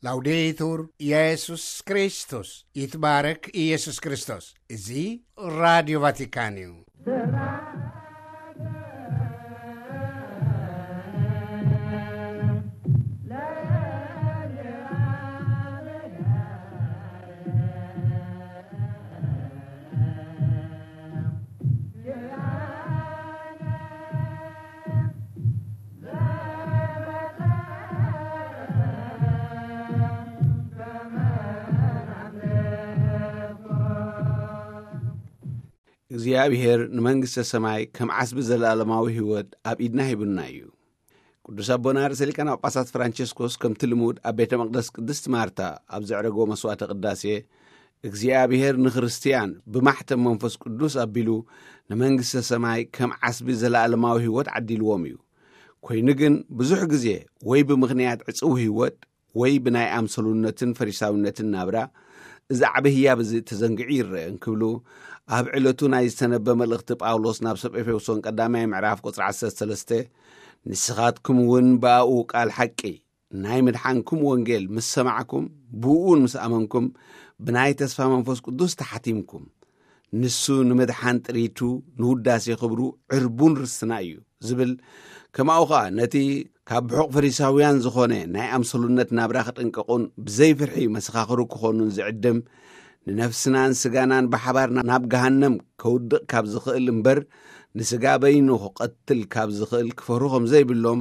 ላውዴቱር ኢየሱስ ክርስቶስ፣ ይትባረክ ኢየሱስ ክርስቶስ። እዚ ራዲዮ ቫቲካን እዩ። እግዚኣብሔር ንመንግስተ ሰማይ ከም ዓስቢ ዘለኣለማዊ ህይወት ኣብ ኢድና ሂቡና እዩ። ቅዱስ ኣቦና ርእሰ ሊቃነ ጳጳሳት ፍራንቸስኮስ ከምቲ ልሙድ ኣብ ቤተ መቕደስ ቅድስት ማርታ ኣብ ዘዕረጎ መስዋዕተ ቅዳሴ፣ እግዚኣብሔር ንክርስትያን ብማሕተም መንፈስ ቅዱስ ኣቢሉ ንመንግስተ ሰማይ ከም ዓስቢ ዘለኣለማዊ ህይወት ዓዲልዎም እዩ። ኮይኑ ግን ብዙሕ ግዜ ወይ ብምኽንያት ዕጽው ህይወት ወይ ብናይ ኣምሰሉነትን ፈሪሳውነትን ናብራ እዚ ዓቢ ህያብ እዚ ተዘንግዑ ይረአ እንክብሉ ኣብ ዕለቱ ናይ ዝተነበ መልእኽቲ ጳውሎስ ናብ ሰብ ኤፌሶን ቀዳማይ ምዕራፍ ቁጽሪ ዓሰርተ ሰለስተ፣ ንስኻትኩም እውን ብኣኡ ቃል ሓቂ ናይ ምድሓንኩም ወንጌል ምስ ሰማዕኩም ብእኡን ምስ ኣመንኩም ብናይ ተስፋ መንፈስ ቅዱስ ተሓቲምኩም፣ ንሱ ንምድሓን ጥሪቱ ንውዳሴ ክብሩ ዕርቡን ርስትና እዩ ዝብል፣ ከማኡ ኸኣ ነቲ ካብ ብሑቕ ፈሪሳውያን ዝኾነ ናይ ኣምሰሉነት ናብራ ክጥንቀቑን ብዘይፍርሒ መሰኻኽሩ ክኾኑን ዝዕድም፣ ንነፍስናን ስጋናን ብሓባር ናብ ገሃነም ከውድቕ ካብ ዝኽእል እምበር ንስጋ በይኑ ክቐትል ካብ ዝኽእል ክፈርሁ ከም ዘይብሎም፣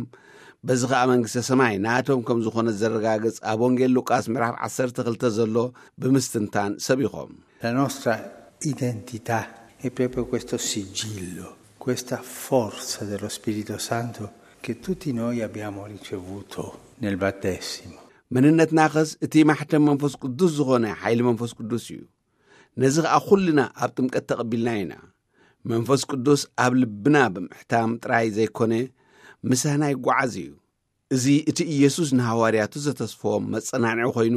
በዚ ኸኣ መንግስተ ሰማይ ናቶም ከም ዝኾነ ዘረጋግጽ ኣብ ወንጌል ሉቃስ ምዕራፍ ዓሰርተ ክልተ ዘሎ ብምስትንታን ሰቢኾም። La nostra identità è proprio questo sigillo, questa forza dello Spirito Santo che tutti noi abbiamo ricevuto nel battesimo. መንነትናኸስ እቲ ማሕተም መንፈስ ቅዱስ ዝኾነ ሓይሊ መንፈስ ቅዱስ እዩ። ነዚ ኸኣ ኩልና ኣብ ጥምቀት ተቐቢልና ኢና። መንፈስ ቅዱስ ኣብ ልብና ብምሕታም ጥራይ ዘይኮነ፣ ምሳና ይጓዓዝ እዩ። እዚ እቲ ኢየሱስ ንሃዋርያቱ ዘተስፈዎም መጸናንዒ ኮይኑ፣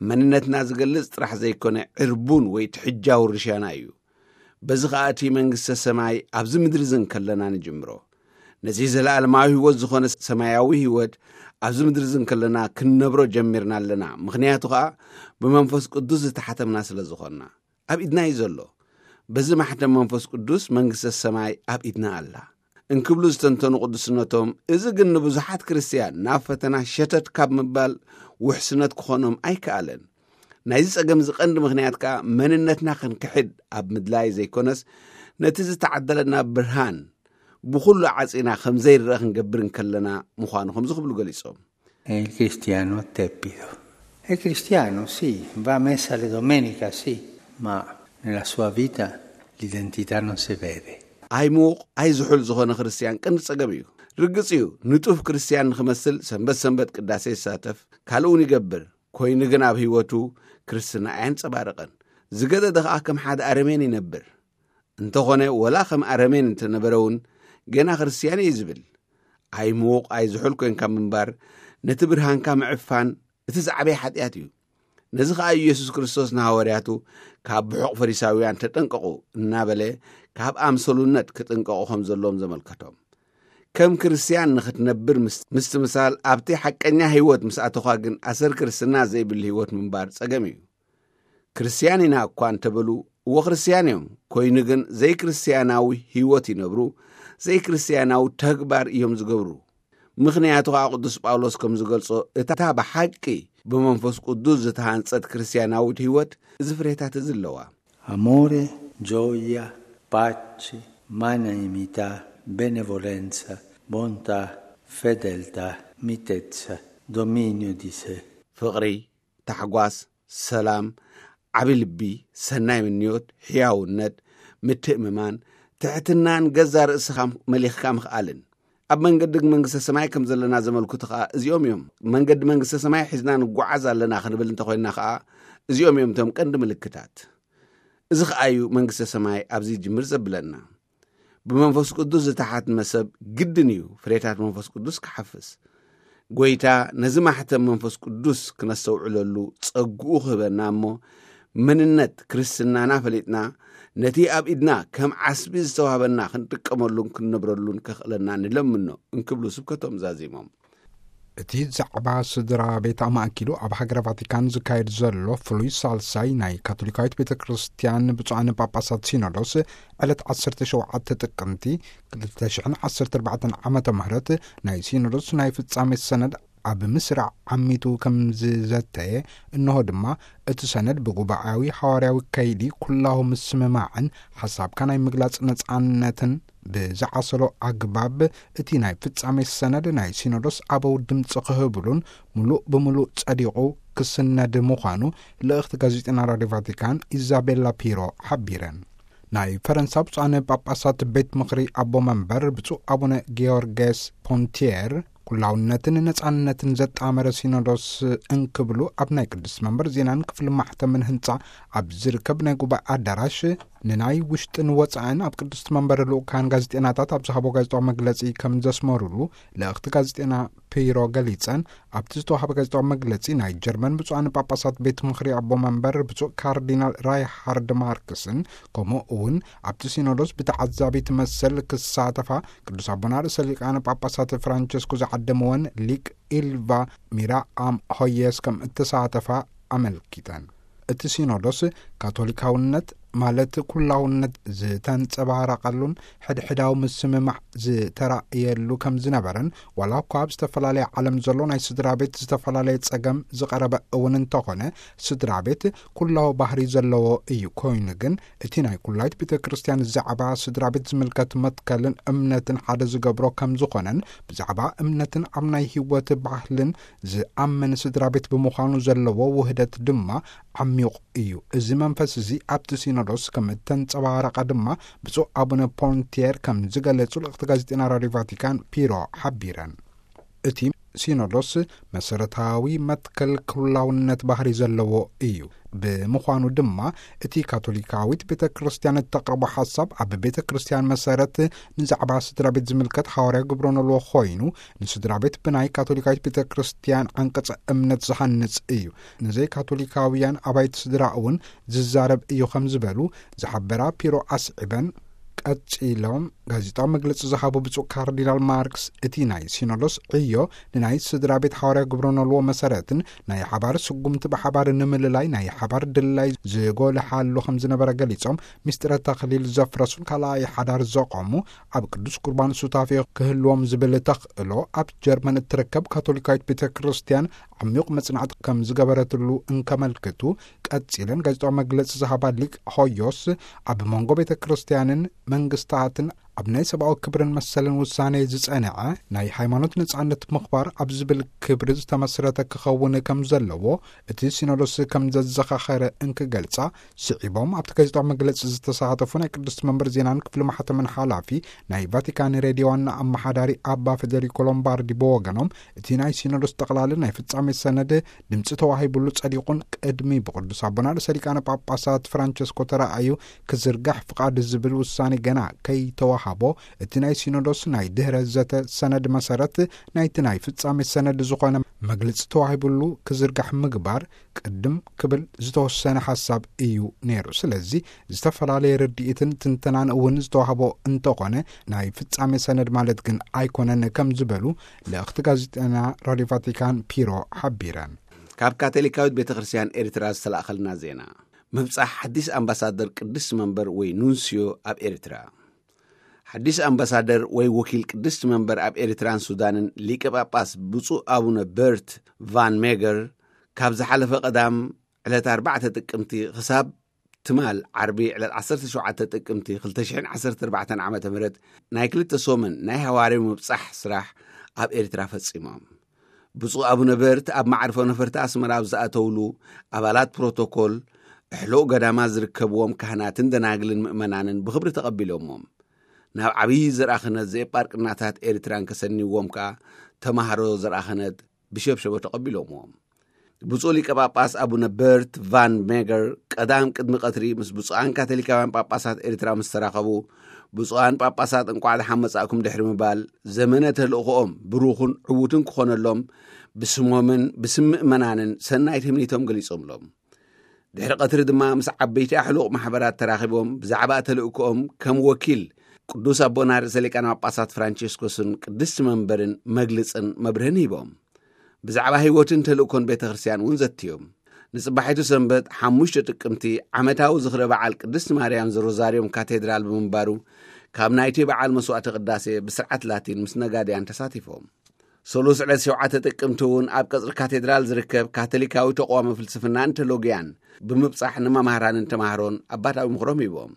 መንነትና ዝገልጽ ጥራሕ ዘይኮነ፣ ዕርቡን ወይ ትሕጃዊ ርሻና እዩ። በዚ ኸኣ እቲ መንግስተ ሰማይ ኣብዚ ምድሪ እዚ እንከለና ንጅምሮ። ነዚ ዘለኣለማዊ ህይወት ዝኾነ ሰማያዊ ህይወት ኣብዚ ምድሪ እዚ እንከለና ክንነብሮ ጀሚርና ኣለና። ምኽንያቱ ኸኣ ብመንፈስ ቅዱስ ዝተሓተምና ስለ ዝኾንና። ኣብ ኢድና እዩ ዘሎ። በዚ ማሕተም መንፈስ ቅዱስ መንግስተ ሰማይ ኣብ ኢድና ኣላ እንክብሉ ዝተንተኑ ቅዱስነቶም፣ እዚ ግን ንብዙሓት ክርስትያን ናብ ፈተና ሸተት ካብ ምባል ውሕስነት ክኾኖም ኣይከኣለን። ናይዚ ጸገም እዚ ቀንዲ ምኽንያት ከኣ መንነትና ክንክሕድ ኣብ ምድላይ ዘይኮነስ፣ ነቲ ዝተዓደለና ብርሃን ብኹሉ ዓጺና ከም ዘይረኣ ክንገብር እንከለና ምዃኑ ከምዚ ክብሉ ገሊጾም። È il cristiano teppido. È cristiano, sì, va a messa le domenica, sì, ma nella sua vita l'identità non si vede. ኣይምዉቕ ኣይዝሑል ዝኾነ ክርስትያን ቀንዲ ጸገም እዩ። ርግጽ እዩ፣ ንጡፍ ክርስትያን ንኽመስል ሰንበት ሰንበት ቅዳሴ ይሳተፍ፣ ካልእ እውን ይገብር። ኮይኑ ግን ኣብ ህይወቱ ክርስትና ኣየንጸባርቕን። ዝገደደ ኸኣ ከም ሓደ ኣረሜን ይነብር። እንተኾነ ወላ ከም ኣረሜን እንተነበረ እውን ገና ክርስትያን እየ ዝብል። ኣይምዉቕ ኣይዝሑል ኮይንካ ምንባር ነቲ ብርሃንካ ምዕፋን እቲ ዝዓበየ ሓጢኣት እዩ። ነዚ ኸኣ ኢየሱስ ክርስቶስ ንሃዋርያቱ ካብ ብሑቕ ፈሪሳውያን ተጠንቀቑ እናበለ ካብ ኣምሰሉነት ክጥንቀቑ ከም ዘለዎም ዘመልከቶም። ከም ክርስትያን ንኽትነብር ምስ-፣ ምስትምሳል ኣብቲ ሓቀኛ ህይወት ምስ ኣተኻ ግን ኣሰር ክርስትና ዘይብል ህይወት ምንባር ጸገም እዩ። ክርስትያን ኢና እኳ እንተበሉ፣ እወ ክርስትያን እዮም፣ ኮይኑ ግን ዘይክርስትያናዊ ህይወት ይነብሩ፣ ዘይክርስትያናዊ ተግባር እዮም ዝገብሩ። ምኽንያቱ ኸኣ ቅዱስ ጳውሎስ ከም ዝገልጾ፣ እታ ብሓቂ ብመንፈስ ቅዱስ ዝተሃንጸት ክርስትያናዊት ህይወት እዚ ፍሬታት እዚ ኣለዋ። Amore, gioia, pace, magnanimità, benevolenza, bontà, fedeltà, mitezza, dominio di sé. ፍቕሪ፣ ታሕጓስ፣ ሰላም፣ ዓቢ ልቢ፣ ሰናይ ምንዮት፣ ሕያውነት፣ ምትእምማን፣ ትሕትናን ገዛ ርእስኻ መሊኽካ ምኽኣልን። ኣብ መንገዲ መንግስተ ሰማይ ከም ዘለና ዘመልክቱ ኸኣ እዚኦም እዮም። መንገዲ መንግስተ ሰማይ ሒዝና ንጓዓዝ ኣለና ክንብል እንተኾይንና ኸኣ እዚኦም እዮም እቶም ቀንዲ ምልክታት። እዚ ኸኣ እዩ መንግስተ ሰማይ ኣብዚ ይጅምር ዘብለና። ብመንፈስ ቅዱስ ዝተሓትመ ሰብ ግድን እዩ ፍሬታት መንፈስ ቅዱስ ክሓፍስ። ጐይታ ነዚ ማሕተም መንፈስ ቅዱስ ክነስተውዕለሉ ጸግኡ ክህበና እሞ፣ መንነት ክርስትናና ፈሊጥና፣ ነቲ ኣብ ኢድና ከም ዓስቢ ዝተዋህበና ክንጥቀመሉን ክንነብረሉን ከኽእለና ንለምኖ እንክብሉ ስብከቶም ዛዚሞም። እቲ ዛዕባ ስድራ ቤት ኣማእኪሉ ኣብ ሃገረ ቫቲካን ዝካየድ ዘሎ ፍሉይ ሳልሳይ ናይ ካቶሊካዊት ቤተ ክርስቲያን ብፁዓን ጳጳሳት ሲኖዶስ ዕለት ዓሰርተ ሸውዓተ ጥቅምቲ ክልተ ሽሕን ዓሰርተ ኣርባዕተን ዓመተ ምህረት ናይ ሲኖዶስ ናይ ፍጻሜ ሰነድ ኣብ ምስራዕ ዓሚቱ ከም ዝዘተየ፣ እንሆ ድማ እቲ ሰነድ ብጉባኤያዊ ሓዋርያዊ ከይዲ ኩላሁ ምስምማዕን ሓሳብካ ናይ ምግላጽ ነጻነትን ብዝዓሰሎ ኣግባብ፣ እቲ ናይ ፍጻሜ ሰነድ ናይ ሲኖዶስ ኣበው ድምፂ ክህብሉን ምሉእ ብምሉእ ጸዲቑ ክስነድ ምዃኑ ልእኽቲ ጋዜጠና ራድዮ ቫቲካን ኢዛቤላ ፒሮ ሓቢረን። ናይ ፈረንሳ ብፁዓን ጳጳሳት ቤት ምኽሪ ኣቦ መንበር ብፁዕ ኣቡነ ጊዮርጌስ ፖንቲየር፣ ኩላውነትን ነጻነትን ዘጣመረ ሲኖዶስ እንክብሉ ኣብ ናይ ቅድስት መንበር ዜናን ክፍሊ ማሕተምን ህንጻ ኣብ ዝርከብ ናይ ጉባኤ ኣዳራሽ፣ ንናይ ውሽጥን ወጻእን ኣብ ቅድስት መንበር ልኡካን ጋዜጠናታት ኣብ ዝሃቦ ጋዜጣዊ መግለጺ ከም ዘስመሩሉ ልእኽቲ ጋዜጠና ፒሮ ገሊጸን። ኣብቲ ዝተዋሃበ ጋዜጣዊ መግለጺ፣ ናይ ጀርመን ብፁዓን ጳጳሳት ቤት ምኽሪ ኣቦ መንበር ብፁዕ ካርዲናል ራይሃርድ ማርክስን፣ ከምኡ እውን ኣብቲ ሲኖዶስ ብተዓዛቢ ትመሰል ክሳተፋ ቅዱስ ኣቦና ርእሰ ሊቃነ ጳጳሳት ፍራንቸስኮ ዝዓደምወን ሊቅ ኢልቫ ሚራኣም ሆየስ ከም እተሳተፋ ኣመልኪተን። እቲ ሲኖዶስ ካቶሊካውነት ማለት ኩላውነት ዝተንጸባረቐሉን ሕድሕዳዊ ምስምማዕ ዝተራእየሉ ከም ዝነበረን፣ ዋላ እኳ ኣብ ዝተፈላለየ ዓለም ዘሎ ናይ ስድራ ቤት ዝተፈላለየ ጸገም ዝቐረበ እውን እንተኾነ፣ ስድራ ቤት ኩላዊ ባህሪ ዘለዎ እዩ። ኮይኑ ግን እቲ ናይ ኩላይት ቤተ ክርስቲያን ዛዕባ ስድራ ቤት ዝምልከት መትከልን እምነትን ሓደ ዝገብሮ ከም ዝኾነን፣ ብዛዕባ እምነትን ኣብ ናይ ህይወት ባህልን ዝኣምን ስድራ ቤት ብምዃኑ ዘለዎ ውህደት ድማ ዓሚቕ እዩ። እዚ መንፈስ እዚ ኣብቲ ሲኖዶስ ከም እተንጸባረቐ ድማ ብፁዕ ኣቡነ ፖንቲየር ከም ዝገለጹ ልእኽቲ ጋዜጠና ራድዮ ቫቲካን ፒሮ ሓቢረን። እቲ ሲኖዶስ መሰረታዊ መትከል ኩላውነት ባህሪ ዘለዎ እዩ። ብምዃኑ ድማ እቲ ካቶሊካዊት ቤተ ክርስቲያን እተቕርቦ ሓሳብ ኣብ ቤተ ክርስቲያን መሰረት ንዛዕባ ስድራ ቤት ዝምልከት ሓዋርያ ግብሮ ነልዎ ኮይኑ፣ ንስድራ ቤት ብናይ ካቶሊካዊት ቤተ ክርስቲያን ዓንቀጸ እምነት ዝሃንጽ እዩ። ንዘይ ካቶሊካውያን ኣባይቲ ስድራ እውን ዝዛረብ እዩ ከም ዝበሉ ዝሓበራ ፒሮ ኣስዒበን፣ ቀጺሎም ጋዜጣዊ መግለጺ ዝሃቡ ብፁዕ ካርዲናል ማርክስ፣ እቲ ናይ ሲኖዶስ ዕዮ ንናይ ስድራ ቤት ሓዋርያ ግብሮ ነልዎ መሰረትን ናይ ሓባር ስጉምቲ ብሓባር ንምልላይ ናይ ሓባር ድላይ ዝጎልሓሉ ከም ዝነበረ ገሊጾም፣ ምስጢረ ተኽሊል ዘፍረሱን ካልኣይ ሓዳር ዘቆሙ ኣብ ቅዱስ ቁርባን ሱታፌ ክህልዎም ዝብል ተኽእሎ ኣብ ጀርመን እትርከብ ካቶሊካዊት ቤተ ክርስቲያን ዓሚቕ መጽናዕቲ ከም ዝገበረትሉ እንከመልክቱ፣ ቀጺለን ጋዜጣዊ መግለጺ ዝሃባ ሊቅ ሆዮስ፣ ኣብ መንጎ ቤተ ክርስቲያንን መንግስታትን ኣብ ናይ ሰብኣዊ ክብርን መሰልን ውሳኔ ዝጸንዐ ናይ ሃይማኖት ነጻነት ምኽባር ኣብ ዝብል ክብሪ ዝተመስረተ ክኸውን ከም ዘለዎ እቲ ሲኖዶስ ከም ዘዘኻኸረ እንክገልጻ፣ ስዒቦም ኣብቲ ጋዜጣዊ መግለጺ ዝተሳተፉ ናይ ቅድስቲ መንበር ዜናን ክፍሊ ማሕተምን ሓላፊ ናይ ቫቲካን ሬድዮ ዋና ኣመሓዳሪ ኣባ ፌደሪኮ ሎምባርዲ ብወገኖም፣ እቲ ናይ ሲኖዶስ ጠቕላሊ ናይ ፍጻሜ ሰነድ ድምጺ ተዋሂብሉ ጸዲቑን ቅድሚ ብቅዱስ ኣቦና ርእሰ ሊቃነ ጳጳሳት ፍራንቸስኮ ተራእዩ ክዝርጋሕ ፍቓድ ዝብል ውሳኔ ገና ከይተዋሃቦ፣ እቲ ናይ ሲኖዶስ ናይ ድህረ ዘተ ሰነድ መሰረት ናይቲ ናይ ፍጻሜ ሰነድ ዝኾነ መግለጺ ተዋሂብሉ ክዝርጋሕ ምግባር ቅድም ክብል ዝተወሰነ ሓሳብ እዩ ነይሩ። ስለዚ ዝተፈላለየ ርድኢትን ትንተናን እውን ዝተዋህቦ እንተኾነ፣ ናይ ፍጻሜ ሰነድ ማለት ግን ኣይኮነን ከም ዝበሉ ልእኽቲ ጋዜጠና ራድዮ ቫቲካን ፒሮ ሓቢረን። ካብ ካቶሊካዊት ቤተ ክርስቲያን ኤርትራ ዝተላእኸልና ዜና። ምብጻሕ ሓዲስ ኣምባሳደር ቅድስቲ መንበር ወይ ኑንስዮ ኣብ ኤርትራ። ሓዲስ ኣምባሳደር ወይ ወኪል ቅድስቲ መንበር ኣብ ኤርትራን ሱዳንን ሊቀ ጳጳስ ብፁዕ ኣቡነ በርት ቫን ሜገር ካብ ዝሓለፈ ቀዳም ዕለት ኣርባዕተ ጥቅምቲ ክሳብ ትማል ዓርቢ ዕለት ዓሰርተ ሸውዓተ ጥቅምቲ ክልተ ሽሕን ዓሰርተ ኣርባዕተን ዓመተ ምህረት ናይ ክልተ ሰሙን ናይ ሃዋርያዊ ምብጻሕ ስራሕ ኣብ ኤርትራ ፈጺሞም። ብፁዕ ኣቡነ በርት ኣብ መዓርፎ ነፈርቲ ኣስመራ ኣብ ዝኣተውሉ፣ ኣባላት ፕሮቶኮል፣ ኣሕሉቕ ገዳማት ዝርከብዎም ካህናትን ደናግልን ምእመናንን ብኽብሪ ተቐቢሎምዎም። ናብ ዓብዪ ዘርኣ ክህነት ዘየጳርቅናታት ኤርትራን ከሰንይዎም ከኣ ተማሃሮ ዘርኣ ክህነት ብሸብሸቦ ተቐቢሎምዎም። ብፁዕ ሊቀ ጳጳስ ኣቡነ በርት ቫን ሜገር ቀዳም ቅድሚ ቀትሪ ምስ ብፁዓን ካቶሊካውያን ጳጳሳት ኤርትራ ምስ ተራኸቡ፣ ብፁዓን ጳጳሳት እንቋዕ ደሓን መጻእኩም ድሕሪ ምባል፣ ዘመነ ተልእኾኦም ብሩኽን ዕዉትን ክኾነሎም ብስሞምን ብስም ምእመናንን ሰናይ ትምኒቶም ገሊጾምሎም። ድሕሪ ቀትሪ ድማ ምስ ዓበይቲ ኣሕሉቕ ማሕበራት ተራኺቦም ብዛዕባ ተልእኮኦም ከም ወኪል ቅዱስ ኣቦና ርእሰ ሊቃነ ጳጳሳት ፍራንቸስኮስን ቅድስቲ መንበርን መግልጽን መብርህን ሂቦም። ብዛዕባ ህይወትን ተልእኮን ቤተ ክርስቲያን እውን ዘትዮም። ንጽባሒቱ ሰንበት ሓሙሽተ ጥቅምቲ ዓመታዊ ዝኽረ በዓል ቅድስት ማርያም ዘሮዛርዮም ካቴድራል ብምንባሩ፣ ካብ ናይቲ በዓል መስዋዕተ ቅዳሴ ብስርዓት ላቲን ምስ ነጋድያን ተሳቲፎም። ሰሉስ ዕለት ሸውዓተ ጥቅምቲ እውን ኣብ ቀጽሪ ካቴድራል ዝርከብ ካቶሊካዊ ተቋመ ፍልስፍናን ቴሎጊያን ብምብጻሕ ንመማህራንን ተማህሮን ኣባታዊ ምኽሮም ሂቦም።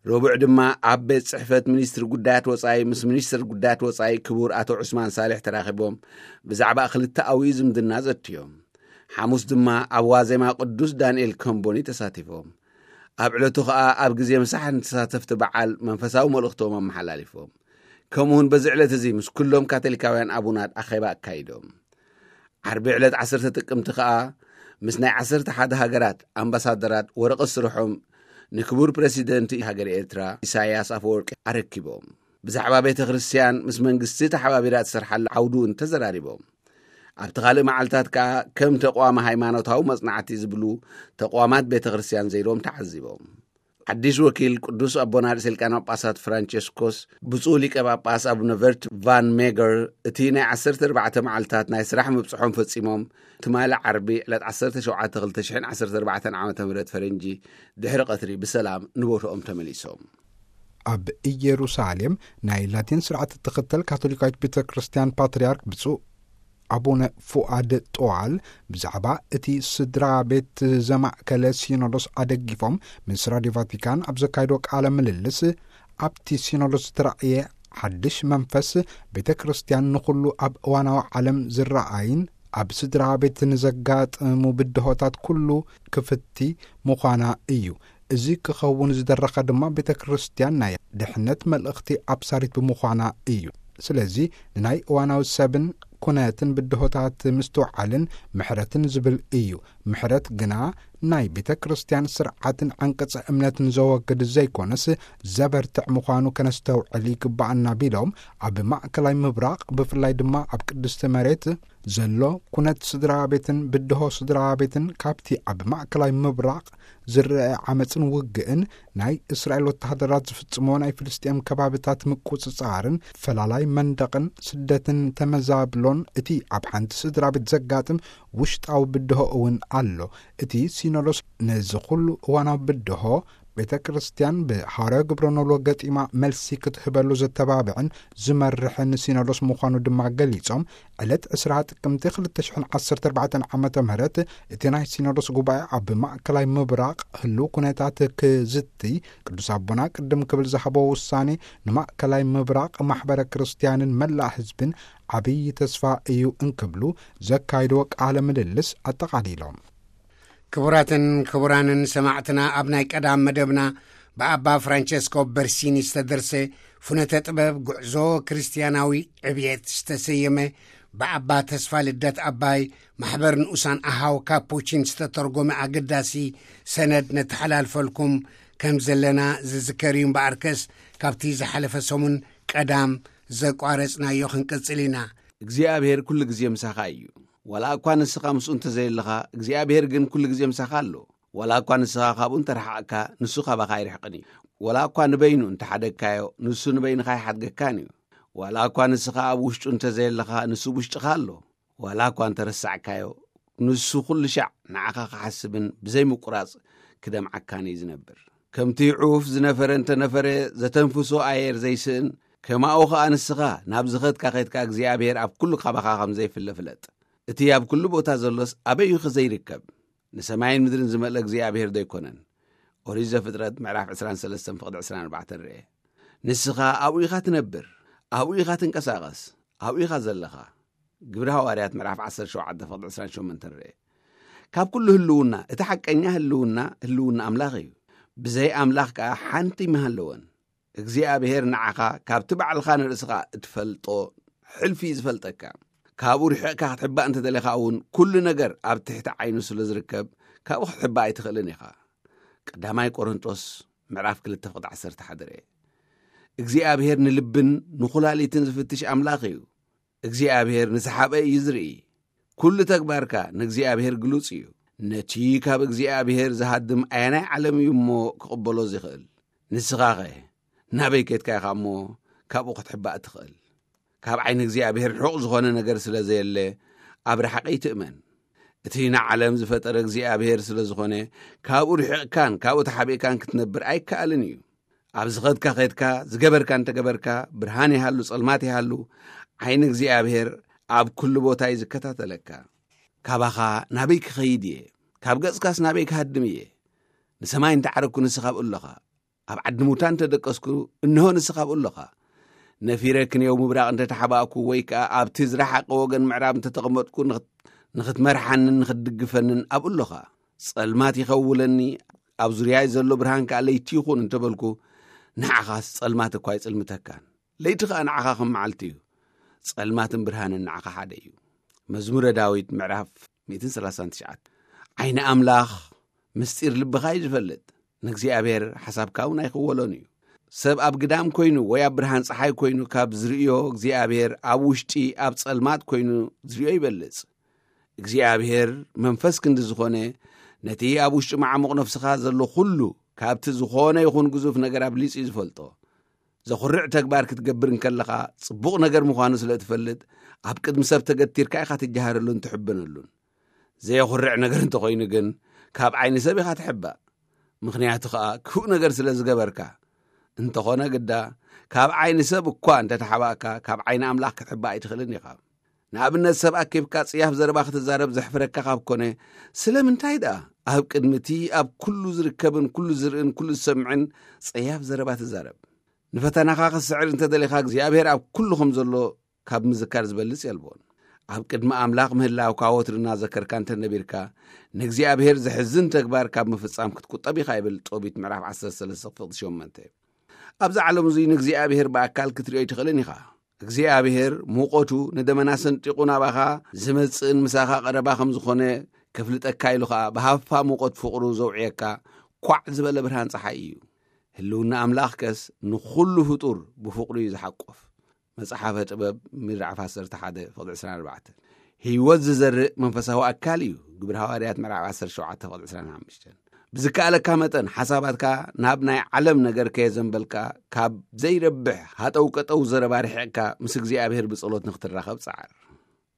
ረቡዕ ድማ ኣብ ቤት ጽሕፈት ሚኒስትሪ ጉዳያት ወጻኢ ምስ ሚኒስትር ጉዳያት ወጻኢ ክቡር ኣቶ ዑስማን ሳሌሕ ተራኺቦም ብዛዕባ ክልተኣዊ ዝምድና ዘትዮም። ሓሙስ ድማ ኣብ ዋዜማ ቅዱስ ዳንኤል ከምቦኒ ተሳቲፎም። ኣብ ዕለቱ ኸኣ ኣብ ግዜ ምሳሕ ንተሳተፍቲ በዓል መንፈሳዊ መልእኽቶም ኣመሓላሊፎም። ከምኡውን በዚ ዕለት እዚ ምስ ኩሎም ካቶሊካውያን ኣቡናት ኣኼባ ኣካይዶም። ዓርቢ ዕለት ዓሰርተ ጥቅምቲ ኸኣ ምስ ናይ ዓሰርተ ሓደ ሃገራት ኣምባሳደራት ወረቐት ስርሖም ንክቡር ፕረሲደንት ሃገር ኤርትራ ኢሳያስ ኣፈወርቂ ኣረኪቦም። ብዛዕባ ቤተ ክርስቲያን ምስ መንግስቲ ተሓባቢራ ትሰርሓሉ ዓውዲ እውን ተዘራሪቦም። ኣብቲ ካልእ መዓልታት ከኣ ከም ተቋም ሃይማኖታዊ መጽናዕቲ ዝብሉ ተቋማት ቤተ ክርስቲያን ዘይሮም ተዓዚቦም። ሓድሽ ወኪል ቅዱስ ኣቦና ርእሰ ሊቃነ ጳጳሳት ፍራንቸስኮስ ብፁዕ ሊቀ ጳጳስ ኣቡነ ቨርት ቫን ሜገር እቲ ናይ ዓሰርተ ኣርባዕተ መዓልታት ናይ ስራሕ ምብጽሖም ፈጺሞም ትማሊ ዓርቢ ዕለት ዓሰርተ ሸውዓተ ክልተ ሽሕን ዓሰርተ ኣርባዕተን ዓመተ ምህረት ፈረንጂ ድሕሪ ቀትሪ ብሰላም ንቦትኦም ተመሊሶም። ኣብ ኢየሩሳሌም ናይ ላቲን ስርዓት እትኽተል ካቶሊካዊት ቤተ ክርስቲያን ፓትርያርክ ብፁዕ ኣቡነ ፉኣድ ጦዋል ብዛዕባ እቲ ስድራ ቤት ዘማእከለ ሲኖዶስ ኣደጊፎም ምስ ራድዮ ቫቲካን ኣብ ዘካይዶ ቃለ ምልልስ፣ ኣብቲ ሲኖዶስ ዝተራእየ ሓድሽ መንፈስ ቤተ ክርስቲያን ንኹሉ ኣብ እዋናዊ ዓለም ዝረኣይን ኣብ ስድራ ቤት ንዘጋጥሙ ብድሆታት ኩሉ ክፍቲ ምዃና እዩ። እዚ ክኸውን ዝደረኸ ድማ ቤተ ክርስቲያን ናይ ድሕነት መልእኽቲ ኣብሳሪት ብምዃና እዩ። ስለዚ ንናይ እዋናዊ ሰብን ኩነትን ብድሆታት ምስትውዓልን ምሕረትን ዝብል እዩ። ምሕረት ግና ናይ ቤተ ክርስቲያን ስርዓትን ዓንቀጸ እምነትን ዘወግድ ዘይኮነስ ዘበርትዕ ምዃኑ ከነስተውዕል ይግባኣና ቢሎም፣ ኣብ ማእከላይ ምብራቕ ብፍላይ ድማ ኣብ ቅድስቲ መሬት ዘሎ ኩነት ስድራ ቤትን ብድሆ ስድራ ቤትን ካብቲ ኣብ ማእከላይ ምብራቕ ዝረአ ዓመፅን ውግእን፣ ናይ እስራኤል ወተሃደራት ዝፍጽሞ ናይ ፍልስጤም ከባብታት ምቁጽጻርን ፈላላይ መንደቕን ስደትን ተመዛብሎን፣ እቲ ኣብ ሓንቲ ስድራ ቤት ዘጋጥም ውሽጣዊ ብድሆ እውን ኣሎ። እቲ ሲኖዶስ ነዚ ኩሉ እዋናዊ ብድሆ ቤተ ክርስቲያን ብሃዋርያዊ ግብረ ኖሎ ገጢማ መልሲ ክትህበሉ ዘተባብዕን ዝመርሕን ሲኖዶስ ምዃኑ ድማ ገሊጾም፣ ዕለት ዕስራ ጥቅምቲ ክልተ ሽሕን ዓሰርተ ኣርባዕተን ዓመተ ምህረት እቲ ናይ ሲኖዶስ ጉባኤ ኣብ ማእከላይ ምብራቕ ህልው ኩነታት ክዝትይ፣ ቅዱስ ኣቦና ቅድም ክብል ዝሃቦ ውሳኔ ንማእከላይ ምብራቕ ማሕበረ ክርስቲያንን መላእ ህዝብን ዓብዪ ተስፋ እዩ እንክብሉ ዘካይድዎ ቃለ ምልልስ ኣጠቓሊሎም። ክቡራትን ክቡራንን ሰማዕትና፣ ኣብ ናይ ቀዳም መደብና ብኣባ ፍራንቸስኮ በርሲኒ ዝተደርሰ ፍኖተ ጥበብ ጉዕዞ ክርስትያናዊ ዕብየት ዝተሰየመ፣ ብኣባ ተስፋ ልደት ኣባይ ማሕበር ንኡሳን ኣሃው ካፑቺን ዝተተርጎመ ኣገዳሲ ሰነድ ነተሓላልፈልኩም ከም ዘለና ዝዝከር እዩ። እምበኣርከስ ካብቲ ዝሓለፈ ሰሙን ቀዳም ዘቋረጽናዮ ክንቅጽል ኢና። እግዚኣብሔር ኩሉ ግዜ ምሳኻ እዩ። ዋላ እኳ ንስኻ ምስኡ እንተዘየለኻ፣ እግዚኣብሔር ግን ኩሉ ግዜ ምሳኻ ኣሎ። ዋላ እኳ ንስኻ ካብኡ እንተረሓቕካ፣ ንሱ ካባኻ ኣይርሕቕን እዩ። ዋላ እኳ ንበይኑ እንተሓደግካዮ፣ ንሱ ንበይንኻ ኣይሓድገካን እዩ። ዋላ እኳ ንስኻ ኣብ ውሽጡ እንተዘየለኻ፣ ንሱ ውሽጥኻ ኣሎ። ዋላ እኳ እንተረሳዕካዮ፣ ንሱ ኩሉ ሻዕ ንዓኻ ክሓስብን ብዘይ ምቁራጽ ክደምዓካን እዩ ዝነብር። ከምቲ ዑፍ ዝነፈረ እንተነፈረ፣ ዘተንፍሶ ኣየር ዘይስእን፣ ከማኡ ኸኣ ንስኻ ናብ ዝኸድካ ኸድካ እግዚኣብሔር ኣብ ኩሉ ካባኻ ከም ዘይፍለ ፍለጥ። እቲ ኣብ ኩሉ ቦታ ዘሎስ ኣበይ እዩ ኸ ዘይርከብ? ንሰማይን ምድርን ዝመልአ እግዚኣብሔር ዶ ኣይኮነን? ኦሪት ዘፍጥረት ምዕራፍ ዕስራን ሰለስተን ፍቕዲ ዕስራን ኣርባዕተን ርኤ። ንስኻ ኣብኡ ኢኻ ትነብር፣ ኣብኡ ኢኻ ትንቀሳቐስ፣ ኣብኡ ኢኻ ዘለኻ። ግብሪ ሃዋርያት ምዕራፍ ዓሰርተ ሸውዓተ ፍቕዲ ዕስራን ሸሞንተን ርኤ። ካብ ኩሉ ህልውና፣ እቲ ሓቀኛ ህልውና፣ ህልውና ኣምላኽ እዩ። ብዘይ ኣምላኽ ከኣ ሓንቲ ኣይምሃለወን። እግዚኣብሔር ንዓኻ ካብቲ ባዕልኻ ንርእስኻ እትፈልጦ ሕልፊ እዩ ዝፈልጠካ። ካብኡ ርሒቕካ ክትሕባእ እንተደሊኻ እውን፣ ኩሉ ነገር ኣብ ትሕቲ ዓይኑ ስለ ዝርከብ፣ ካብኡ ክትሕባእ ኣይትኽእልን ኢኻ። ቀዳማይ ቆሮንጦስ ምዕራፍ ክልተ ፍቕዲ ዓሰርተ ሓደ ርኤ። እግዚኣብሔር ንልብን ንኹላሊትን ዝፍትሽ ኣምላኽ እዩ። እግዚኣብሔር ንዝሓበ እዩ ዝርኢ። ኩሉ ተግባርካ ንእግዚኣብሔር ግሉጽ እዩ። ነቲ ካብ እግዚኣብሔር ዝሃድም ኣየናይ ዓለም እዩ እሞ ክቕበሎ ዝኽእል? ንስኻኸ ናበይ ኬድካ ኢኻ እሞ ካብኡ ክትሕባእ ትኽእል? ካብ ዓይኒ እግዚኣብሔር ርሑቕ ዝኾነ ነገር ስለ ዘየለ፣ ኣብ ረሓቐ ይትእመን። እቲ ንዓለም ዝፈጠረ እግዚኣብሔር ስለ ዝኾነ፣ ካብኡ ርሒቕካን ካብኡ ተሓቢእካን ክትነብር ኣይከኣልን እዩ። ኣብ ዝኸድካ ኸድካ፣ ዝገበርካ እንተገበርካ፣ ብርሃን ይሃሉ ጸልማት ይሃሉ፣ ዓይኒ እግዚኣብሔር ኣብ ኩሉ ቦታ እዩ ዝከታተለካ። ካባኻ ናበይ ክኸይድ እየ? ካብ ገጽካስ ናበይ ክሃድም እየ? ንሰማይ እንተ ዓረግኩ ንስኻ ኣብኡ ኣለኻ። ኣብ ዓዲ ሙታን እንተ ደቀስኩ እንሆ ንስኻ ኣብኡ ኣለኻ። ነፊረ ክንየው ምብራቕ እንተ ተሓባእኩ ወይ ከኣ ኣብቲ ዝረሓቐ ወገን ምዕራብ እንተ ተቐመጥኩ ንኽት-፣ ንኽትመርሓንን ንኽትድግፈንን ኣብኡ ኣለኻ። ጸልማት ይኸውለኒ፣ ኣብ ዙርያይ ዘሎ ብርሃን ከኣ ለይቲ ይኹን እንተ በልኩ ንዓኻስ ጸልማት እኳ ኣይጽልምተካን። ለይቲ ኸኣ ንዓኻ ከም መዓልቲ እዩ። ጸልማትን ብርሃንን ንዓኻ ሓደ እዩ። መዝሙረ ዳዊት ምዕራፍ ሚእትን ሰላሳን ትሽዓተ። ዓይኒ ኣምላኽ ምስጢር ልብኻ እዩ ዝፈልጥ። ንእግዚኣብሔር ሓሳብካ እውን ኣይኽወሎን እዩ። ሰብ ኣብ ግዳም ኮይኑ ወይ ኣብ ብርሃን ጸሓይ ኮይኑ ካብ ዝርእዮ እግዚኣብሔር ኣብ ውሽጢ ኣብ ጸልማት ኮይኑ ዝርእዮ ይበልጽ። እግዚኣብሔር መንፈስ ክንዲ ዝኾነ ነቲ ኣብ ውሽጢ መዓሙቕ ነፍስኻ ዘሎ ኩሉ ካብቲ ዝኾነ ይኹን ግዙፍ ነገር ኣብሊጹ እዩ ዝፈልጦ። ዘኹርዕ ተግባር ክትገብር እንከለኻ ጽቡቕ ነገር ምዃኑ ስለ እትፈልጥ ኣብ ቅድሚ ሰብ ተገቲርካ ኢኻ ትጀሃረሉን ትሕበነሉን። ዘየኹርዕ ነገር እንተኾይኑ ግን ካብ ዓይኒ ሰብ ኢኻ ትሕባእ። ምኽንያቱ ኸኣ ክፉእ ነገር ስለ ዝገበርካ። እንተኾነ ግዳ ካብ ዓይኒ ሰብ እኳ እንተ ተሓባእካ ካብ ዓይኒ ኣምላኽ ክትሕባእ ኣይትኽእልን ኢኻ። ንኣብነት ሰብ ኣኪብካ ጽያፍ ዘረባ ክትዛረብ ዘሕፍረካ ካብ ኮነ ስለምንታይ ደኣ ኣብ ቅድሚ እቲ ኣብ ኩሉ ዝርከብን ኩሉ ዝርእን ኩሉ ዝሰምዕን ጸያፍ ዘረባ ትዛረብ? ንፈተናኻ ክትስዕር እንተ ደሊኻ እግዚኣብሔር ኣብ ኩሉ ከም ዘሎ ካብ ምዝካር ዝበልጽ የልቦን። ኣብ ቅድሚ ኣምላኽ ምህላውካ ወትሩ እናዘከርካ እንተ ነቢርካ ንእግዚኣብሔር ዘሕዝን ተግባር ካብ ምፍጻም ክትቁጠብ ኢኻ ይብል ጦቢት ምዕራፍ ዓሰርተ ሰለስተ ፍቕዲ ሸሞንተ። ኣብዚ ዓለም እዙይ ንእግዚኣብሔር ብኣካል ክትርእዮ ኣይትኽእልን ኢኻ። እግዚኣብሔር ሙቐቱ ንደመና ሰንጢቑ ናባኻ ዝመጽእን ምሳኻ ቀረባ ከም ዝኾነ ከፍልጠካ ኢሉ ኸኣ ብሃፋ ሙቐት ፍቕሩ ዘውዕየካ ኳዕ ዝበለ ብርሃን ጸሓይ እዩ። ህልውና ኣምላኽ ከስ ንኹሉ ፍጡር ብፍቕሩ እዩ ዝሓቆፍ። መጽሓፈ ጥበብ ምዕራፍ ዓሰርተ ሓደ ፍቕዲ ዕስራን ኣርባዕተን። ህይወት ዝዘርእ መንፈሳዊ ኣካል እዩ። ግብሪ ሃዋርያት ምዕራፍ ዓሰርተ ሸውዓተ ፍቕዲ ዕስራን ሓሙሽተን። ብዝከኣለካ መጠን ሓሳባትካ ናብ ናይ ዓለም ነገር ከየዘንበልካ ካብ ዘይረብሕ ሃጠው ቀጠው ዘረባ ርሒቕካ ምስ እግዚኣብሔር ብጸሎት ንክትራኸብ ጸዓር።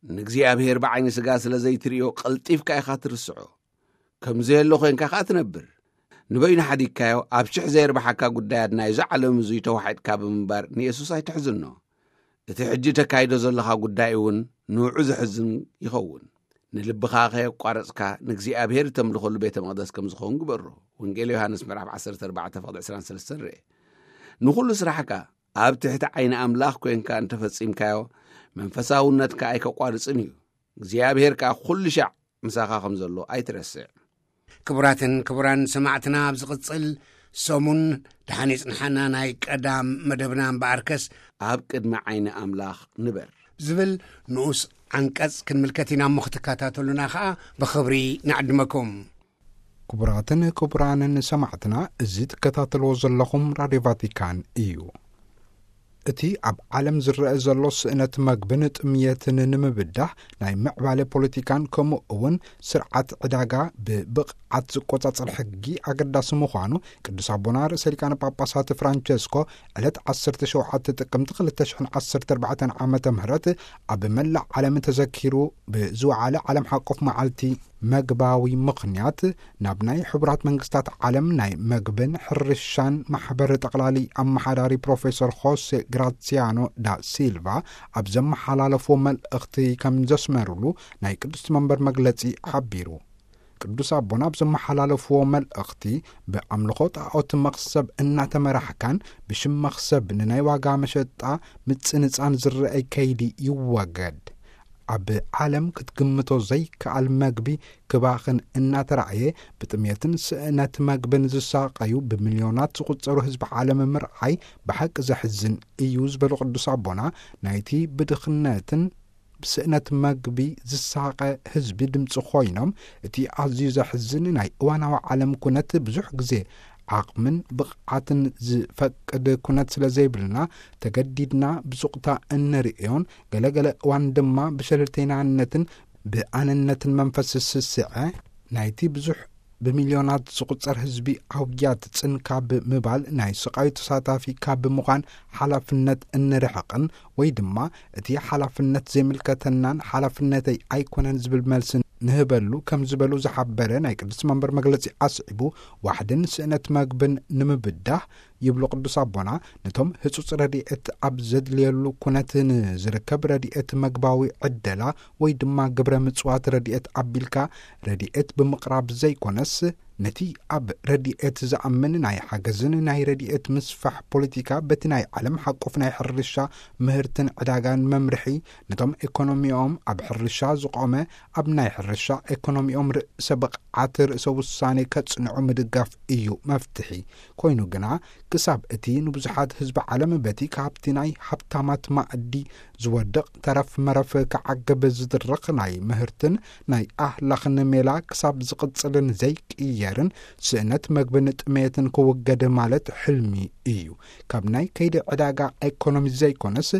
ንእግዚኣብሔር ብዓይኒ ስጋ ስለ ዘይትርእዮ ቀልጢፍካ ኢኻ ትርስዖ። ከም ዘየሎ ኮይንካ ከኣ ትነብር። ንበይኑ ሓዲግካዮ ኣብ ሽሕ ዘየርብሓካ ጉዳያት ናይዚ ዓለም እዙይ ተዋሒጥካ ብምንባር ንየሱስ ኣይትሕዝኖ። እቲ ሕጂ ተካይዶ ዘለኻ ጉዳይ እውን ንውዑ ዘሕዝን ይኸውን። ንልብኻ ከየቋረጽካ ንእግዚኣብሔር እተምልኸሉ ቤተ መቕደስ ከም ዝኸውን ግበሮ። ወንጌል ዮሃንስ ምዕራፍ ዓሰርተ ኣርባዕተ ፍቕዲ ዕስራን ሰለስተን ርኤ። ንኹሉ ስራሕካ ኣብ ትሕቲ ዓይኒ ኣምላኽ ኮይንካ እንተፈጺምካዮ መንፈሳውነትካ ኣይከቋርጽን እዩ። እግዚኣብሔር ከኣ ኩሉ ሻዕ ምሳኻ ከም ዘሎ ኣይትረስዕ። ክቡራትን ክቡራን ሰማዕትና፣ ኣብ ዝቕጽል ሰሙን ደሓን ይጽንሓና ናይ ቀዳም መደብና እምበኣርከስ ኣብ ቅድሚ ዓይኒ ኣምላኽ ንበር። ዝብል ንኡስ ዓንቀጽ ክንምልከት ኢና እሞ ክትከታተሉና ኸኣ ብኽብሪ ንዕድመኩም። ክቡራትን ክቡራንን ሰማዕትና፣ እዚ ትከታተልዎ ዘለኹም ራድዮ ቫቲካን እዩ። እቲ ኣብ ዓለም ዝረአ ዘሎ ስእነት መግብን ጥምየትን ንምብዳህ ናይ ምዕባለ ፖለቲካን ከምኡ እውን ስርዓት ዕዳጋ ብብቕዓት ዝቆጻጸር ሕጊ ኣገዳሲ ምዃኑ ቅዱስ ኣቦና ርእሰ ሊቃነ ጳጳሳት ፍራንቸስኮ ዕለት ዓሰርተ ሸውዓተ ጥቅምቲ ክልተ ሽሕን ዓሰርተ ኣርባዕተን ዓመተ ምህረት ኣብ መላእ ዓለም ተዘኪሩ ብዝወዓለ ዓለም ሓቆፍ መዓልቲ መግባዊ ምኽንያት ናብ ናይ ሕቡራት መንግስታት ዓለም ናይ መግብን ሕርሻን ማሕበር ጠቕላሊ ኣመሓዳሪ ፕሮፌሰር ሆሴ ግራሲያኖ ዳ ሲልቫ ኣብ ዘመሓላለፍዎ መልእኽቲ ከም ዘስመሩሉ ናይ ቅዱስ መንበር መግለጺ ሓቢሩ። ቅዱስ ኣቦና ኣብ ዘመሓላለፍዎ መልእኽቲ ብኣምልኾ ጣዖት መኽሰብ እናተመራሕካን ብሽም መኽሰብ ንናይ ዋጋ መሸጣ ምጽንጻን ዝረአይ ከይዲ ይወገድ። ኣብ ዓለም ክትግምቶ ዘይከኣል መግቢ ክባኽን እናተራእየ ብጥሜትን ስእነት መግብን ዝሳቐዩ ብሚልዮናት ዝቑጸሩ ህዝቢ ዓለም ምርኣይ ብሓቂ ዘሕዝን እዩ ዝበሉ ቅዱስ ኣቦና ናይቲ ብድኽነትን ብስእነት መግቢ ዝሳቐ ህዝቢ ድምፂ ኮይኖም እቲ ኣዝዩ ዘሕዝን ናይ እዋናዊ ዓለም ኩነት ብዙሕ ግዜ ዓቕምን ብቕዓትን ዝፈቅድ ኩነት ስለ ዘይብልና ተገዲድና ብሱቕታ እንርእዮን ገለገለ እዋን ድማ ብሸለልተይናነትን ብኣነነትን መንፈስ ስስዐ ናይቲ ብዙሕ ብሚልዮናት ዝቑጸር ህዝቢ ኣውያት ጽን ካብ ምባል፣ ናይ ስቓዩ ተሳታፊ ካብ ምዃን ሓላፍነት እንርሕቕን፣ ወይ ድማ እቲ ሓላፍነት ዘይምልከተናን ሓላፍነተይ ኣይኮነን ዝብል መልሲ ንህበሉ ከም ዝበሉ ዝሓበረ ናይ ቅድስቲ መንበር መግለጺ ኣስዒቡ፣ ዋሕድን ስእነት መግብን ንምብዳህ ይብሉ ቅዱስ ኣቦና፣ ነቶም ህጹጽ ረድኤት ኣብ ዘድልየሉ ኩነት ንዝርከብ ረድኤት መግባዊ ዕደላ ወይ ድማ ግብረ ምጽዋት ረድኤት ኣቢልካ ረድኤት ብምቕራብ ዘይኮነስ፣ ነቲ ኣብ ረድኤት ዝኣምን ናይ ሓገዝን ናይ ረድኤት ምስፋሕ ፖለቲካ በቲ ናይ ዓለም ሓቆፍ ናይ ሕርሻ ምህርትን ዕዳጋን መምርሒ፣ ነቶም ኤኮኖሚኦም ኣብ ሕርሻ ዝቖመ፣ ኣብ ናይ ሕርሻ ኤኮኖሚኦም ርእሰ ብቕዓት ርእሰ ውሳኔ ከጽንዑ ምድጋፍ እዩ መፍትሒ። ኮይኑ ግና፣ ክሳብ እቲ ንብዙሓት ህዝቢ ዓለም በቲ ካብቲ ናይ ሃብታማት ማእዲ ዝወድቕ ተረፍ መረፍ ክዓግብ ዝድርኽ ናይ ምህርትን ናይ ኣህላኽን ሜላ ክሳብ ዝቕጽልን ዘይቅየርን፣ ስእነት መግብን ጥሜትን ክውገድ ማለት ሕልሚ እዩ። ካብ ናይ ከይዲ ዕዳጋ ኤኮኖሚ ዘይኮነስ፣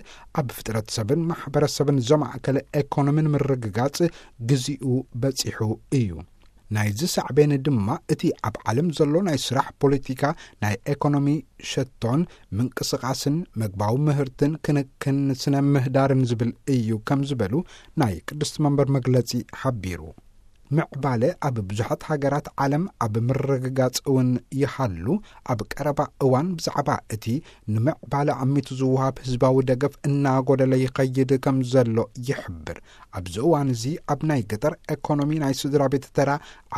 ኣብ ፍጥረት ሰብን ማሕበረሰብን ዘማእከለ ኤኮኖሚን ምርግጋጽ ግዚኡ በጺሑ እዩ። ናይዚ ሳዕቤን ድማ እቲ ኣብ ዓለም ዘሎ ናይ ስራሕ ፖለቲካ፣ ናይ ኤኮኖሚ ሸቶን ምንቅስቓስን፣ መግባዊ ምህርትን ክንክን ስነ ምህዳርን ዝብል እዩ ከም ዝበሉ ናይ ቅድስቲ መንበር መግለጺ ሓቢሩ። ምዕባለ ኣብ ብዙሓት ሃገራት ዓለም ኣብ ምርግጋጽ እውን ይሃሉ፣ ኣብ ቀረባ እዋን ብዛዕባ እቲ ንምዕባለ ኣሚቱ ዝወሃብ ህዝባዊ ደገፍ እናጎደለ ይኸይድ ከም ዘሎ ይሕብር። ኣብዚ እዋን እዚ ኣብ ናይ ገጠር ኤኮኖሚ ናይ ስድራ ቤት ተራ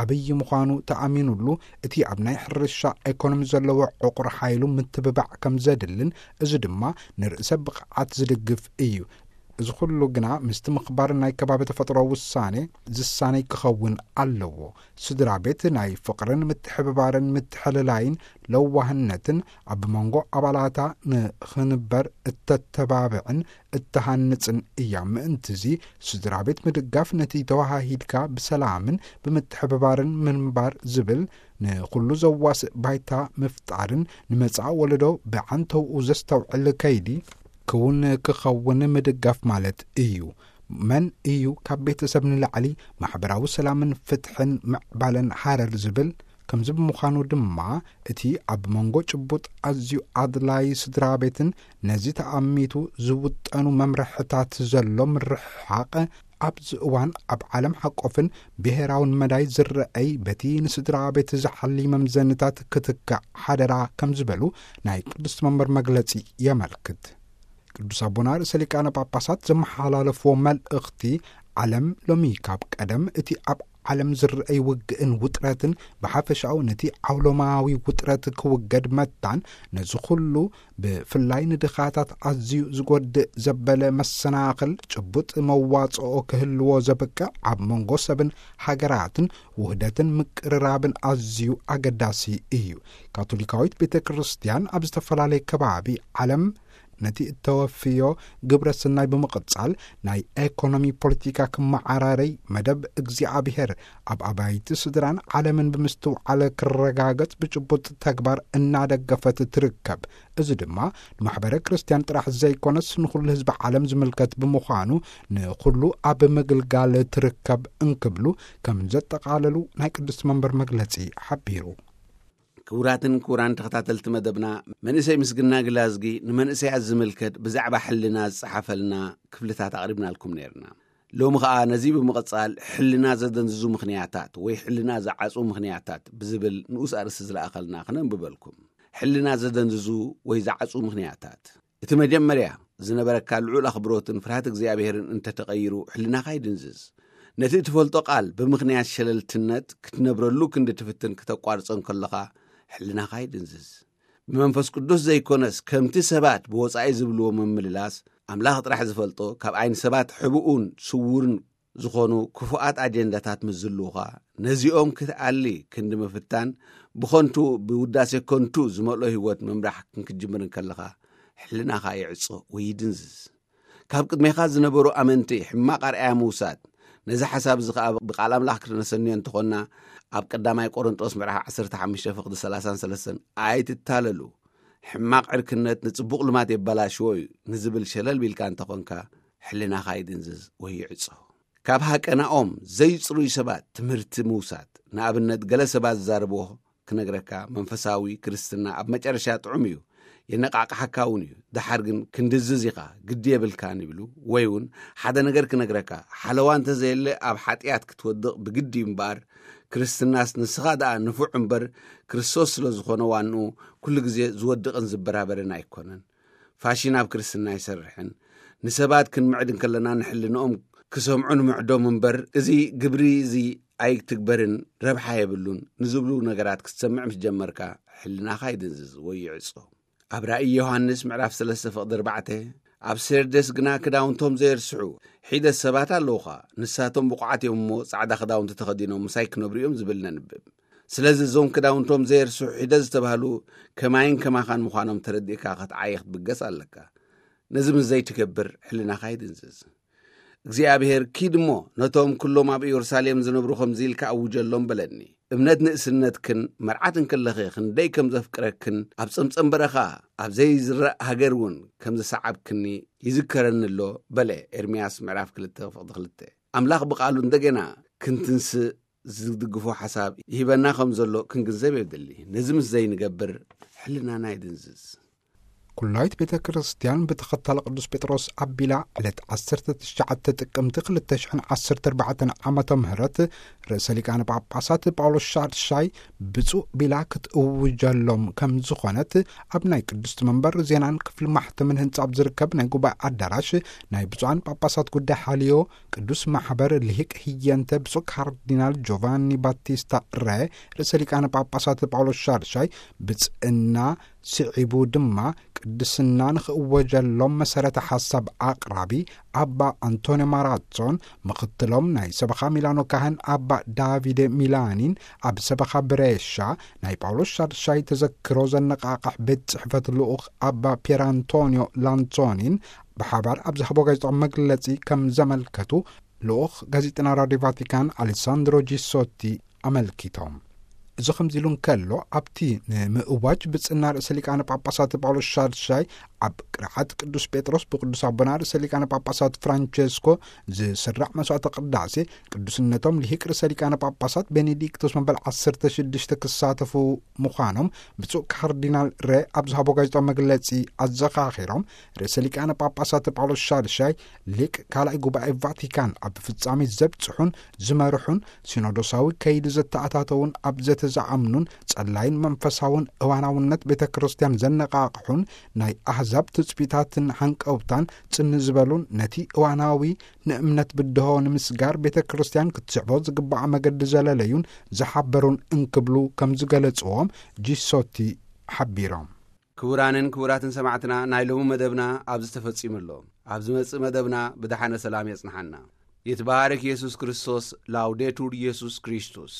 ዓብዪ ምዃኑ ተኣሚኑሉ፣ እቲ ኣብ ናይ ሕርሻ ኤኮኖሚ ዘለዎ ዕቑር ሓይሉ ምትብባዕ ከም ዘድልን፣ እዚ ድማ ንርእሰ ብቕዓት ዝድግፍ እዩ። እዚ ኩሉ ግና ምስቲ ምኽባር ናይ ከባቢ ተፈጥሮ ውሳኔ ዝሳነይ ክኸውን ኣለዎ። ስድራ ቤት ናይ ፍቕርን ምትሕብባርን ምትሕልላይን ለዋህነትን ኣብ መንጎ ኣባላታ ንኽንበር እተተባብዕን እተሃንጽን እያ። ምእንትዚ ስድራ ቤት ምድጋፍ ነቲ ተዋሃሂድካ ብሰላምን ብምትሕብባርን ምንባር ዝብል ንኹሉ ዘዋስእ ባይታ ምፍጣርን ንመጻኢ ወለዶ ብዓንተውኡ ዘስተውዕል ከይዲ ክውን ክኸውን ምድጋፍ ማለት እዩ። መን እዩ ካብ ቤተሰብ ንላዕሊ ማሕበራዊ ሰላምን ፍትሕን ምዕባለን ሃረር ዝብል? ከምዚ ብምዃኑ ድማ እቲ ኣብ መንጎ ጭቡጥ ኣዝዩ ኣድላይ ስድራ ቤትን ነዚ ተኣሚቱ ዝውጠኑ መምርሕታት ዘሎ ምርሕሓቕ ኣብዚ እዋን ኣብ ዓለም ሓቆፍን ብሄራውን መዳይ ዝረኣይ በቲ ንስድራ ቤት ዝሓሊ መምዘንታት ክትካእ ሓደራ ከም ዝበሉ ናይ ቅድስቲ መንበር መግለጺ የመልክት። ቅዱስ ኣቦና ርእሰ ሊቃነ ጳጳሳት ዘመሓላለፍዎ መልእኽቲ፣ ዓለም ሎሚ ካብ ቀደም እቲ ኣብ ዓለም ዝረኣይ ውግእን ውጥረትን ብሓፈሻኡ ነቲ ዓውሎማዊ ውጥረት ክውገድ መታን፣ ነዚ ኩሉ ብፍላይ ንድኻታት ኣዝዩ ዝጎድእ ዘበለ መሰናኽል ጭቡጥ መዋጽኦ ክህልዎ ዘብቅዕ ኣብ መንጎ ሰብን ሃገራትን ውህደትን ምቅርራብን ኣዝዩ ኣገዳሲ እዩ። ካቶሊካዊት ቤተ ክርስቲያን ኣብ ዝተፈላለየ ከባቢ ዓለም ነቲ እተወፍዮ ግብረ ሰናይ ብምቕጻል፣ ናይ ኤኮኖሚ ፖለቲካ ክመዓራረይ፣ መደብ እግዚኣብሔር ኣብ ኣባይቲ ስድራን ዓለምን ብምስትውዓል ክረጋገጽ ብጭቡጥ ተግባር እናደገፈት ትርከብ። እዚ ድማ ንማሕበረ ክርስቲያን ጥራሕ ዘይኮነስ ንኹሉ ህዝቢ ዓለም ዝምልከት ብምዃኑ፣ ንኹሉ ኣብ ምግልጋል ትርከብ እንክብሉ ከም ዘጠቓለሉ ናይ ቅድስቲ መንበር መግለጺ ሓቢሩ። ክቡራትን ክቡራን ተኸታተልቲ መደብና፣ መንእሰይ ምስግና ግላዝጊ ንመንእሰያት ዝምልከት ብዛዕባ ሕልና ዝጸሓፈልና ክፍልታት ኣቕሪብናልኩም ነይርና። ሎሚ ኸኣ ነዚ ብምቕጻል ሕልና ዘደንዝዙ ምኽንያታት ወይ ሕልና ዝዓጹ ምኽንያታት ብዝብል ንኡስ ኣርእስቲ ዝለኣኸልና ክነንብበልኩም። ሕልና ዘደንዝዙ ወይ ዝዓጹ ምኽንያታት። እቲ መጀመርያ ዝነበረካ ልዑል ኣኽብሮትን ፍርሃት እግዚኣብሔርን እንተተቐይሩ፣ ሕልናኻ ይድንዝዝ። ነቲ እትፈልጦ ቃል ብምኽንያት ሸለልትነት ክትነብረሉ ክንዲ ትፍትን ክተቋርጾ እንከለኻ፣ ሕልናኻ ይድንዝዝ። ብመንፈስ ቅዱስ ዘይኮነስ፣ ከምቲ ሰባት ብወጻኢ ዝብልዎ ምምልላስ፣ ኣምላኽ ጥራሕ ዝፈልጦ፣ ካብ ዓይኒ ሰባት ሕቡኡን ስዉርን ዝኾኑ ክፉኣት ኣጀንዳታት ምስ ዝህልዉኻ፣ ነዚኦም ክትኣሊ ክንዲ ምፍታን፣ ብኸንቱ፣ ብውዳሴ ከንቱ ዝመልኦ ህይወት ምምራሕ ክንክጅምር እንከለኻ፣ ሕልናኻ ይዕጾ ወይ ይድንዝዝ። ካብ ቅድሜኻ ዝነበሩ ኣመንቲ ሕማቕ ኣርኣያ ምውሳድ፣ ነዚ ሓሳብ እዚ ኸኣ ብቃል ኣምላኽ ክንሰንዮ እንተኾንና፣ ኣብ ቀዳማይ ቆሮንጦስ ምዕራፍ ዓሰርተ ሓሙሽተ ፍቕዲ ሰላሳን ሰለስተን፣ "ኣይትታለሉ፣ ሕማቕ ዕርክነት ንጽቡቕ ልማድ የበላሽዎ እዩ" ንዝብል ሸለል ቢልካ እንተኾንካ፣ ሕልናኻ ይድንዝዝ ወይ ይዕጾ። ካብ ሃቀናኦም ዘይጽሩይ ሰባት ትምህርቲ ምውሳድ። ንኣብነት፣ ገለ ሰባት ዝዛረብዎ ክነግረካ፣ መንፈሳዊ ክርስትና ኣብ መጨረሻ ጥዑም እዩ፣ የነቓቕሓካ እውን እዩ፣ ደሓር ግን ክንድዝዝ ኢኻ፣ ግዲ የብልካን ይብሉ። ወይ እውን ሓደ ነገር ክነግረካ፣ ሓለዋ እንተዘየለ ኣብ ሓጢኣት ክትወድቕ ብግዲ እዩ እምበኣር፣ ክርስትናስ ንስኻ ደኣ ንፉዕ እምበር፣ ክርስቶስ ስለ ዝኾነ ዋንኡ፣ ኩሉ ግዜ ዝወድቕን ዝበራበርን ኣይኮነን። ፋሽን ኣብ ክርስትና ኣይሰርሕን። ንሰባት ክንምዕድ እንከለና፣ ንሕልንኦም ክሰምዑ ንምዕዶም እምበር፣ እዚ ግብሪ እዚ ኣይትግበርን፣ ረብሓ የብሉን ንዝብሉ ነገራት ክትሰምዕ ምስ ጀመርካ፣ ሕልናኻ ይድንዝዝ ወይ ይዕጾ። ኣብ ራእይ ዮሃንስ ምዕራፍ ሰለስተ ፍቕዲ ኣርባዕተ፣ ኣብ ሴርደስ ግና ክዳውንቶም ዘየርስሑ ሒደት ሰባት ኣለዉኻ። ንሳቶም ብቑዓት እዮም እሞ፣ ጻዕዳ ክዳውንቲ ተኸዲኖም ምሳይ ክነብሩ እዮም ዝብል ነንብብ። ስለዚ እዞም ክዳውንቶም ዘየርስሑ ሒደት ዝተባህሉ ከማይን ከማኻን ምዃኖም ተረዲእካ ክትዓዪ ክትብገስ ኣለካ። ነዚ ምስ ዘይትገብር፣ ሕልናኻ ይድንዝዝ። እግዚኣብሔር፣ "ኪድ እሞ ነቶም ኩሎም ኣብ ኢየሩሳሌም ዝነብሩ ከምዚ ኢልካ ኣውጀሎም" በለኒ። እምነት ንእስነትክን መርዓት እንከለኺ ክንደይ ከም ዘፍቅረክን፣ ኣብ ጸምጸም በረኻ፣ ኣብ ዘይዝራእ ሃገር እውን ከም ዝሰዓብክኒ ይዝከረኒ ኣሎ በለ። ኤርምያስ ምዕራፍ ክልተ ፍቕዲ ክልተ። ኣምላኽ ብቓሉ እንደገና ክንትንስእ ዝድግፎ ሓሳብ ይህበና ከም ዘሎ ክንግንዘብ የድሊ። ነዚ ምስ ዘይንገብር፣ ሕልናና ይድንዝዝ። ኩላዊት ቤተ ክርስቲያን ብተኸታሊ ቅዱስ ጴጥሮስ ኣቢላ ዕለት ዓሰርተ ትሽዓተ ጥቅምቲ ክልተ ሽሕን ዓሰርተ ኣርባዕተን ዓመተ ምህረት ርእሰ ሊቃነ ጳጳሳት ጳውሎስ ሻድሻይ ብፁዕ ቢላ ክትእውጀሎም ከም ዝኾነት ኣብ ናይ ቅድስቲ መንበር ዜናን ክፍሊ ማሕተምን ህንጻ ኣብ ዝርከብ ናይ ጉባኤ ኣዳራሽ ናይ ብፁዓን ጳጳሳት ጉዳይ ሓልዮ ቅዱስ ማሕበር ልሂቅ ህየንተ ብፁዕ ካርዲናል ጆቫኒ ባቲስታ ረ ርእሰ ሊቃነ ጳጳሳት ጳውሎስ ሻድሻይ ብጽእና ስዒቡ ድማ ቅድስና ንኽእወጀሎም መሰረተ ሓሳብ ኣቕራቢ ኣባ ኣንቶንዮ ማራዞን ምኽትሎም ናይ ሰበኻ ሚላኖ ካህን ኣባ ዳቪደ ሚላኒን ኣብ ሰበኻ ብሬሻ ናይ ጳውሎስ ሻድሻይ ተዘክሮ ዘነቓቕሕ ቤት ጽሕፈት ልኡኽ ኣባ ፒየር ኣንቶንዮ ላንሶኒን ብሓባር ኣብ ዝሃቦ ጋዜጣዊ መግለጺ ከም ዘመልከቱ ልኡኽ ጋዜጠና ራድዮ ቫቲካን ኣሌሳንድሮ ጂሶቲ ኣመልኪቶም። እዚ ከምዚ ኢሉ እንከሎ፣ ኣብቲ ንምእዋጅ ብጽና ርእሰ ሊቃነ ጳጳሳት ጳውሎስ ሻድሻይ ኣብ ቅርዓት ቅዱስ ጴጥሮስ ብቅዱስ ኣቦና ርእሰ ሊቃነ ጳጳሳት ፍራንቸስኮ ዝስራዕ መስዋዕተ ቅዳሴ ቅዱስነቶም ልሂቅ ርእሰ ሊቃነ ጳጳሳት ቤኔዲክቶስ መበል ዓሰርተ ሽዱሽተ ክሳተፉ ምዃኖም ብፁዕ ካርዲናል ረ ኣብ ዝሃቦ ጋዜጣዊ መግለጺ ኣዘኻኺሮም። ርእሰ ሊቃነ ጳጳሳት ጳውሎስ ሻድሻይ ሊቅ ካልኣይ ጉባኤ ቫቲካን ኣብ ፍጻሜ ዘብጽሑን ዝመርሑን ሲኖዶሳዊ ከይዲ ዘተኣታተውን ኣብ ዘተ ዝኣምኑን ጸላይን መንፈሳውን እዋናውነት ቤተ ክርስቲያን ዘነቓቕሑን ናይ ኣህዛብ ትጽቢታትን ሃንቀውታን ጽን ዝበሉን ነቲ እዋናዊ ንእምነት ብድሆ ንምስጋር ቤተ ክርስቲያን ክትስዕቦ ዝግባኣ መገዲ ዘለለዩን ዝሓበሩን እንክብሉ ከም ዝገለጽዎም ጂሶቲ ሓቢሮም። ክቡራንን ክቡራትን ሰማዕትና፣ ናይ ሎሚ መደብና ኣብዚ ተፈጺሙ ኣሎ። ኣብ ዝመጽእ መደብና ብደሓነ ሰላም የጽንሓና። ይትባረክ ኢየሱስ ክርስቶስ። ላውዴቱር ኢየሱስ ክርስቶስ።